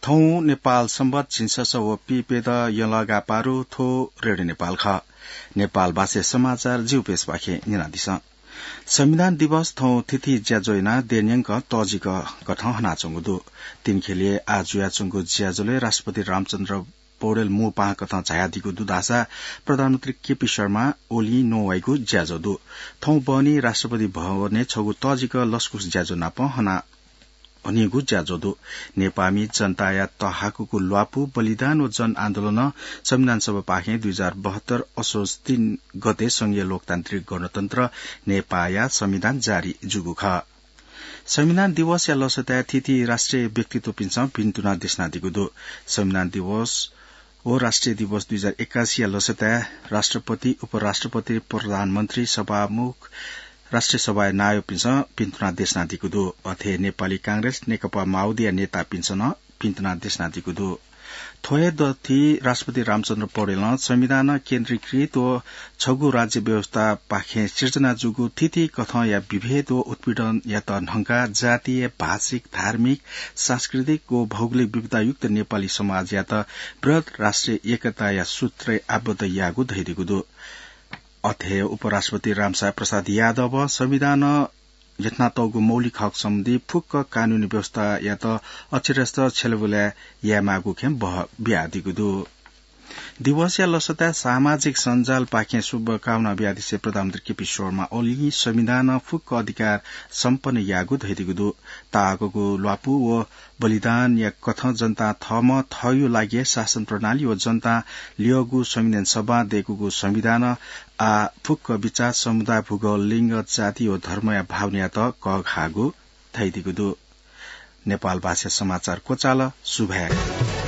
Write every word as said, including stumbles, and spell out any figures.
थौं नेपाल संवत झिंछसः व पीप्यदँ यंलः गापारु। थ्व रेडियो नेपाल खः। नेपाल भाषाया समाचार जिगु प्यसःपाखें न्यनादिसँ। संविधान दिवस थौं थीथी ज्याझ्वः यानाः देय्‌न्यंक तःजिक कथं हनाच्वंगु दु। तीन ख्यलय् आः जुयाच्वंगु ज्याझ्वलय् राष्ट्रपति रामचन्द्र पौडेल मू पाहां कथं झायादीगु दु धाःसा प्रधानमन्त्री केपी शर्मा ओलीं नवाइगु ज्याझ्वः दु। थौं बहनी राष्ट्रपति भवनय् छगू तःजिक लसकुस ज्याझ्वः नाप हना हनीगु ज्याझ्वः दु। नेपाःमि जनताया तःहाकूगु ल्वापु, बलिदान व जनआन्दोलनं संविधान सभापाखें दुई हजार बहत्तर असोज तीन गते संघीय लोकतान्त्रिक गणतन्त्र नेपाःया संविधान जारी जूगु खः। संविधान दिवसया लसताय् थीथी राष्ट्रिय व्यक्तित्वपिन्सं भिन्तुना देछानादीगु दु। संविधान दिवस व राष्ट्रिय दिवस दुई हजार एकासीया लसताय् राष्ट्रपति, उपराष्ट्रपति, प्रधानमन्त्री, सभामुख, राष्ट्रिय सभाया नायःपिन्सं भिन्तुना देछानादीगु दु। अथे नेपाली कांग्रेस, नेकपा माओवादीया नेतापिन्सं नं भिन्तुना देछानादीगु दु। थ्व हे दथुइ राष्ट्रपति रामचन्द्र पौडेलं संविधानं केन्द्रीकृत व छगू राज्य व्यवस्थापाखें सिर्जना जूगु थीथी कथंया विभेद व उत्पीडनयात न्हंकाः जातीय, भाषिक, धार्मिक, सांस्कृतिक व भौगोलिक विविधतायुक्त नेपाली समाजयात बृहत् राष्ट्रिय एकताया सूत्रय् आबद्ध याःगु धयादीगु दु। अथे उपराष्ट्रपति रामसाय प्रसाद यादवं संविधानं ल्यथनातःगु मौलिक हक सम्बन्धी फुक्क कानूनी व्यवस्थायात अक्षरशः छ्यलाबुला यायेमाःगु खँय् बहः बियादीगु दु। दिवसया लसताय् सामाजिक सञ्जालपाखें शुभकामना बियादिसें प्रधानमन्त्री केपी शर्मा ओलीं संविधानं फुक्क अधिकार सम्पन्न याःगु धयादीगु दु। तःहाकूगु ल्वापु व बलिदानया कथं जनतां थःम्हं थःगु लागि शासन प्रणाली व जनतां ल्यःगु संविधान सभां दय्‌कूगु संविधानं आः फुक्क बिचाः, समुदाय, भूगोल, लिङ्ग, जाति व धर्मया भावनायात कःघाःगु धयादीगु दु। नेपाल भाषा समाचार क्वचाल। सुभाय्।